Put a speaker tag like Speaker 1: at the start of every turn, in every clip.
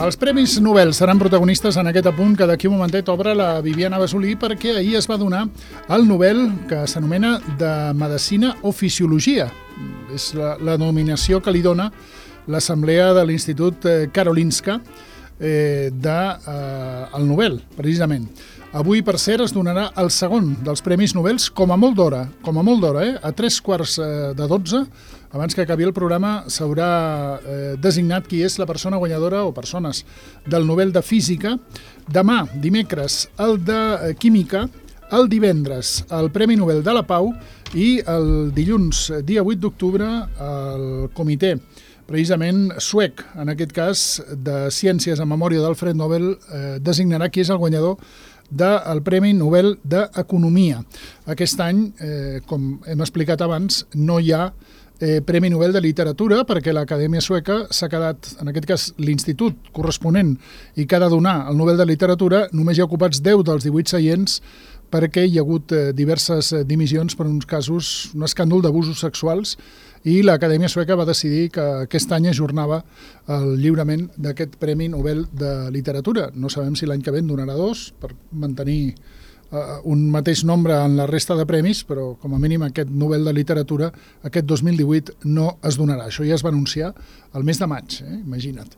Speaker 1: Els Premis Nobel seran protagonistes en aquest apunt que d'aquí un momentet obre la Viviana Basolí, perquè ahir es va donar el Nobel que s'anomena de Medicina o Fisiologia. És la nominació que li dona l'Assemblea de l'Institut Karolinska del Nobel, precisament. Avui, per cert, es donarà el segon dels Premis Nobel com a molt d'hora, a 3:15, abans que acabi el programa s'haurà designat qui és la persona guanyadora o persones del Nobel de Física. Demà, dimecres, el de Química, el divendres, el Premi Nobel de la Pau i el dilluns, dia 8 d'octubre, el comitè precisament suec, en aquest cas de Ciències en memòria d'Alfred Nobel, designarà qui és el guanyador del Premi Nobel d'Economia. Aquest any, com hem explicat abans, no hi ha Premi Nobel de Literatura, perquè l'Acadèmia Sueca s'ha quedat, en aquest cas l'institut corresponent i que ha de donar el Nobel de Literatura, només hi ha ocupats 10 dels 18 seients, perquè hi ha hagut diverses dimissions per uns casos, un escàndol d'abusos sexuals, i l'Acadèmia Sueca va decidir que aquest any ajornava el lliurament d'aquest Premi Nobel de Literatura. No sabem si l'any que ve en donarà 2 per mantenir un mateix nombre en la resta de premis, però com a mínim aquest Nobel de Literatura aquest 2018 no es donarà. Això ja es va anunciar el mes de maig, imagina't.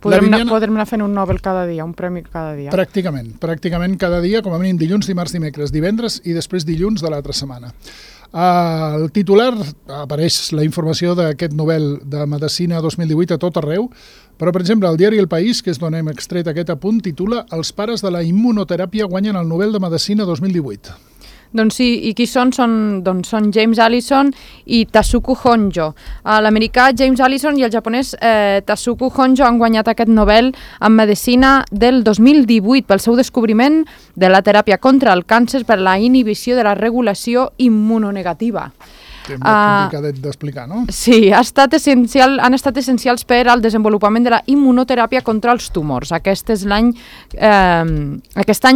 Speaker 2: Podrem anar fent un Nobel cada dia, un premi cada dia.
Speaker 1: Pràcticament cada dia, com a mínim dilluns, dimarts, dimecres, divendres i després dilluns de l'altra setmana. Al titular apareix la informació d'aquest Nobel de Medicina 2018 a tot arreu, però, per exemple, el diari El País, que és d'on hem extret aquest apunt, titula «Els pares de la immunoteràpia guanyen el Nobel de Medicina 2018».
Speaker 2: Doncs sí, i qui són? Són James Allison i Tasuku Honjo. L'americà James Allison i el japonès Tasuku Honjo han guanyat aquest Nobel en Medicina del 2018 pel seu descobriment de la teràpia contra el càncer per la inhibició de la regulació immunonegativa.
Speaker 1: Molt complicat d'explicar, no?
Speaker 2: Sí, han estat essencials per al desenvolupament de la immunoteràpia contra els tumors. Aquest any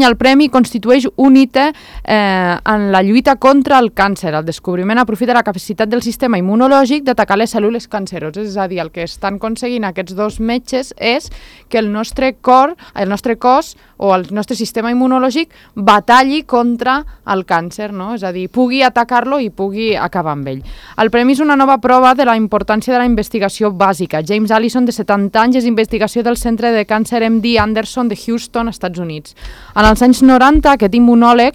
Speaker 2: el premi constitueix un hito en la lluita contra el càncer. El descobriment aprofita la capacitat del sistema immunològic d'atacar les cèl·lules canceroses. És a dir, el que estan aconseguint aquests dos metges és que el nostre cos o el nostre sistema immunològic batalli contra el càncer, no? És a dir, pugui atacar-lo i pugui acabar amb ell. El premi és una nova prova de la importància de la investigació bàsica. James Allison, de 70 anys, és investigació del Centre de Càncer MD Anderson de Houston, Estats Units. En els anys 90, aquest immunòleg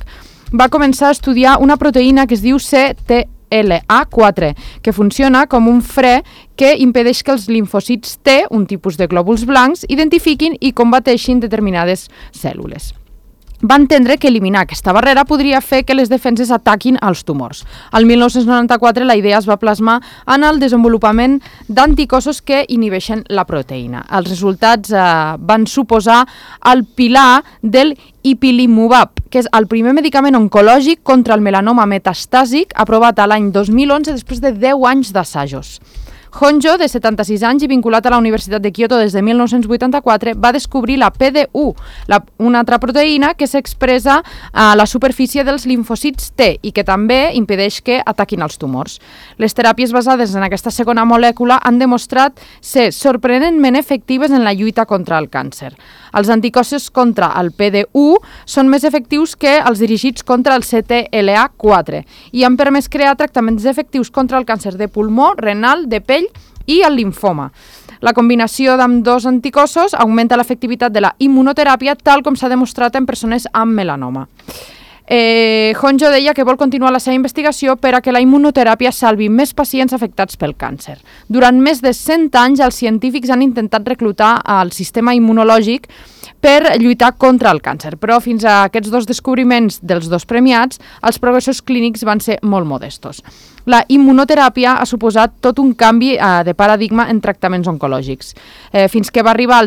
Speaker 2: va començar a estudiar una proteïna que es diu CTLA4, que funciona com un fre que impedeix que els limfòcits T, un tipus de glòbuls blancs, identifiquin i combateixin determinades cèl·lules. Va entendre que eliminar aquesta barrera podria fer que les defenses ataquin els tumors. Al 1994 la idea es va plasmar en el desenvolupament d'anticossos que inhibeixen la proteïna. Els resultats van suposar el pilar del ipilimumab, que és el primer medicament oncològic contra el melanoma metastàsic aprovat a l'any 2011 després de 10 anys d'assajos. Honjo, de 76 anys i vinculat a la Universitat de Kyoto des de 1984, va descobrir la PDU, una altra proteïna que s'expressa a la superfície dels limfòcits T i que també impedeix que ataquin els tumors. Les teràpies basades en aquesta segona molècula han demostrat ser sorprenentment efectives en la lluita contra el càncer. Els anticossos contra el PDU són més efectius que els dirigits contra el CTLA4 i han permès crear tractaments efectius contra el càncer de pulmó, renal, de pell i el limfoma. La combinació d'ambdós anticossos augmenta l'efectivitat de la immunoteràpia, tal com s'ha demostrat en persones amb melanoma. Honjo deia que vol continuar la seva investigació per a que la immunoteràpia salvi més pacients afectats pel càncer. Durant més de 100 anys, els científics han intentat reclutar el sistema immunològic per lluitar contra el càncer, però fins a aquests dos descobriments dels dos premiats, els progressos clínics van ser molt modestos. La immunoteràpia ha suposat tot un canvi de paradigma en tractaments oncològics. Fins que va arribar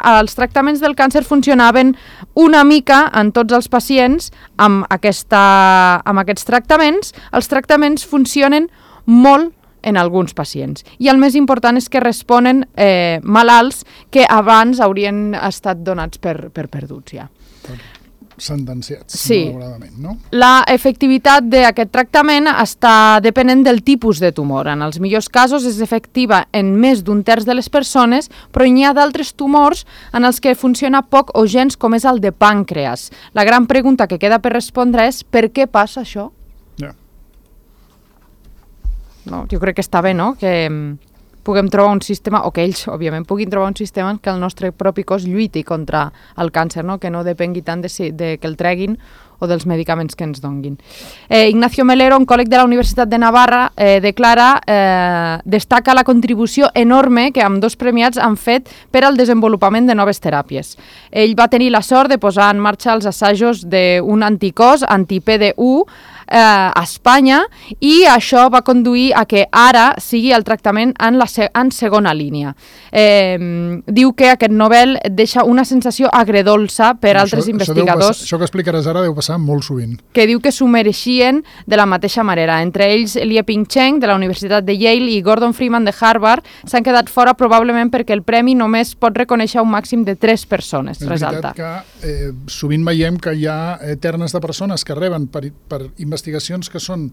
Speaker 2: als tractaments del càncer funcionaven una mica en tots els pacients amb aquests tractaments. Els tractaments funcionen molt en alguns pacients. I el més important és que responen malalts que abans haurien estat donats per perduts ja.
Speaker 1: sentenciats,
Speaker 2: sí.
Speaker 1: malauradament, no?
Speaker 2: La efectivitat d'aquest tractament està depenent del tipus de tumor. En els millors casos és efectiva en més d'un terç de les persones, però n'hi ha d'altres tumors en els que funciona poc o gens, com és el de pàncreas. La gran pregunta que queda per respondre és per què passa això?
Speaker 1: Ja.
Speaker 2: No, jo crec que està bé, no?, que puguem trobar un sistema, o que ells, òbviament, puguin trobar un sistema en què el nostre propi cos lluiti contra el càncer, no?, que no depengui tant de que el treguin o dels medicaments que ens donguin. Ignacio Melero, oncòleg de la Universitat de Navarra, destaca la contribució enorme que ambdós premiats han fet per al desenvolupament de noves teràpies. Ell va tenir la sort de posar en marxa els assajos d'un anticòs, anti-PD1, a Espanya, i això va conduir a que ara sigui el tractament en segona línia. Diu que aquest Nobel deixa una sensació agredolça per altres investigadors.
Speaker 1: Això que explicaràs ara deu passar molt sovint.
Speaker 2: Que diu que s'ho mereixien de la mateixa manera. Entre ells, Lieping Chen, de la Universitat de Yale, i Gordon Freeman, de Harvard, s'han quedat fora probablement perquè el premi només pot reconèixer un màxim de 3 persones, resalta.
Speaker 1: És veritat que sovint veiem que hi ha ternes de persones que reben per investigacions que són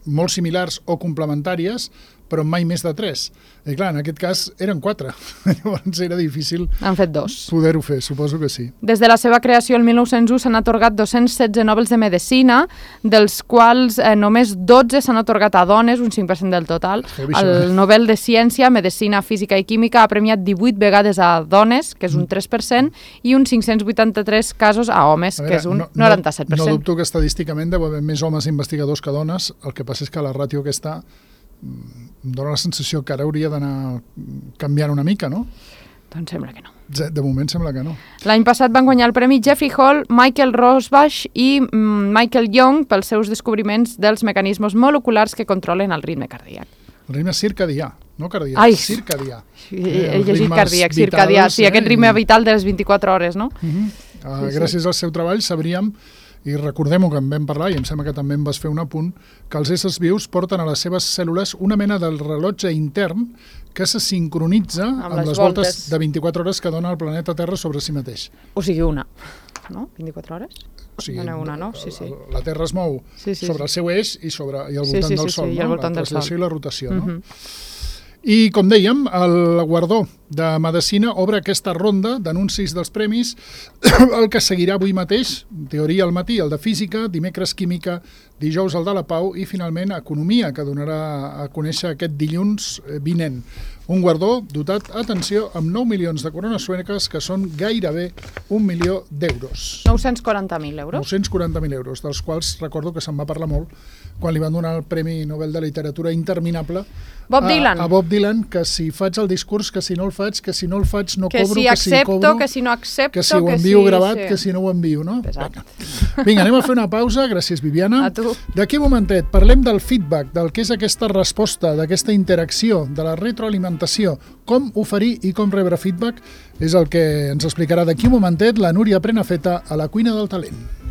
Speaker 1: molt similars o complementàries, però mai més de 3. I clar, en aquest cas eren 4. Llavors era difícil poder-ho fer, suposo que sí.
Speaker 2: Des de la seva creació el 1901 s'han atorgat 216 Nobels de Medicina, dels quals només 12 s'han atorgat a dones, un 5% del total. El Nobel de Ciència, Medicina, Física i Química ha premiat 18 vegades a dones, que és un 3%, i uns 583 casos a homes, que és un 97%.
Speaker 1: No dubto que estadísticament deu haver més homes investigadors que dones, el que passa és que la ràtio aquesta em dóna la sensació que ara hauria d'anar canviant una mica, no?
Speaker 2: Doncs sembla que no.
Speaker 1: De moment sembla que no.
Speaker 2: L'any passat van guanyar el premi Jeffrey Hall, Michael Rosbash i Michael Young pels seus descobriments dels mecanismes moleculars que controlen el ritme cardíac.
Speaker 1: El ritme circadià, no cardíac, circadià.
Speaker 2: He llegit cardíac, circadià, sí, aquest ritme vital de les 24 hores, no?
Speaker 1: Gràcies al seu treball sabríem, i recordem-ho que en vam parlar, i em sembla que també em vas fer un apunt, que els éssers vius porten a les seves cèl·lules una mena del rellotge intern que se sincronitza amb les voltes de 24 hores que dona el planeta Terra sobre si mateix.
Speaker 2: O sigui, una, no? 24 hores?
Speaker 1: O sigui,
Speaker 2: una, no? Sí.
Speaker 1: La Terra es mou sobre el seu eix i al voltant del Sol, no? La translació i la rotació, no? I, com dèiem, el guardó de Medicina obre aquesta ronda d'anuncis dels premis, el que seguirà avui mateix, teoria al matí, el de Física, dimecres Química, dijous el de la Pau i, finalment, Economia, que donarà a conèixer aquest dilluns vinent. Un guardó dotat, atenció, amb 9 milions de corones sueques, que són gairebé 1 milió d'euros.
Speaker 2: 940.000 euros.
Speaker 1: 940.000 euros, dels quals recordo que se'n va parlar molt quan li van donar el Premi Nobel de Literatura interminable
Speaker 2: a
Speaker 1: Bob Dylan, que si faig el discurs, que si no el faig, que si no el faig no cobro,
Speaker 2: que si accepto, que si no accepto,
Speaker 1: que si ho envio gravat, que si no ho envio, no? Vinga, anem a fer una pausa, gràcies Viviana.
Speaker 2: A tu.
Speaker 1: D'aquí un momentet parlem del feedback, del que és aquesta resposta, d'aquesta interacció, de la retroalimentació, com oferir i com rebre feedback, és el que ens explicarà d'aquí un momentet la Núria Prenafeta a la Cuina del Talent.